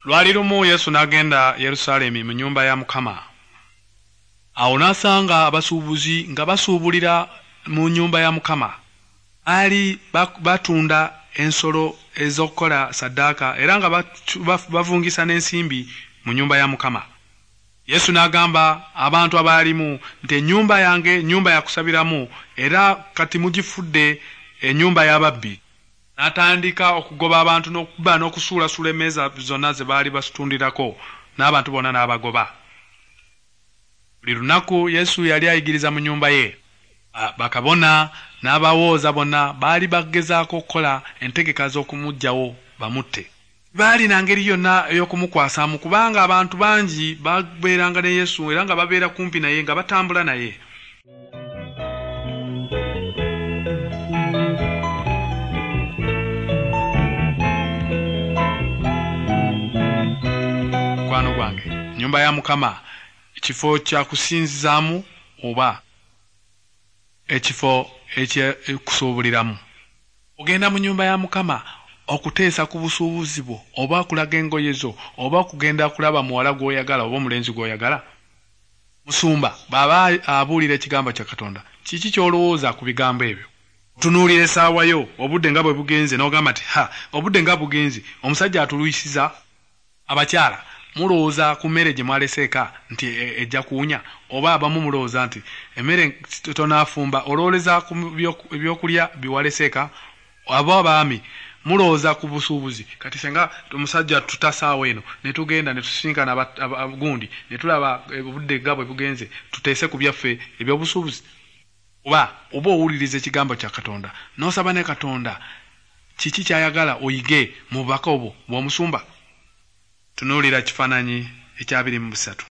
Lwali lumu Yesu n'agenda Yerusaalemi mu nnyumba ya Mukama. Awo n'asanga abasuubuzi nga basuubulira mu nnyumba ya Mukama. Baali batunda ensolo ez'okukola ssaddaaka era nga bavungisa n'ensimbi mu nnyumba ya Mukama. Yesu n'agamba abantu abaalimu nti ennyumba yange nnyumba ya kusabiramu era kati mugifudde ennyumba y'ababbi. N'atandika okugoba abantu n'okuba n'okusuulasuula emmeeza zonna ze baali basitundirako n'abantu bonna n'abagoba. Buli lunaku Yesu yali ayigiriza mu nnyumba ye. Bakabona n'abawooza bonna baali bagezaako okukola entegeka z'okumuggyawo bamutte. Baalina ngeri yonna ey'okumukwasaamu kubanga abantu bangi babeeranga ne Yesu era nga babeera kumpi naye nga batambula naye. Mukwano gwange, nnyumba ya Mukama kifo kya kusinzizaamu oba ekifo eky'okusuubuliramu. Ogenda mu nnyumba ya Mukama okuteesa ku busuubuzi bwo oba okulaga engoye zo oba okugenda kulaba muwala gw'oyagala oba omulenzi gw'oyagala. Musumba bw'aba abuulira ekigambo kya Katonda, kiki ky'olowooza ku bigambo ebyo? Otunuulira essaawa yo obudde nga bwe bugenze n'ogamba nti ha obudde nga bugenze omusajja atulwisiza. Abakyala mulowooza ku mmere gye mwalese eka nti ejja kuwunya oba abamu mulowooza nti emmere tonaafumba olowooleza ku ebyokulya bye walese eka. Abo abaami mulowooza ku busuubuzi kati senga omusajja tutasaawa eno ne tugenda ne tusisinkana gundi ne tulaba obudde nga bwe bugenze tuteese ku byaffe ebyobusuubuzi. Oba oba owuliriza ekigambo kya Katonda n'osaba ne Katonda kiki ky'ayagala oyige mu bubaka obwo bw'omusumba. Tunuulira kifaananyi ekya 23.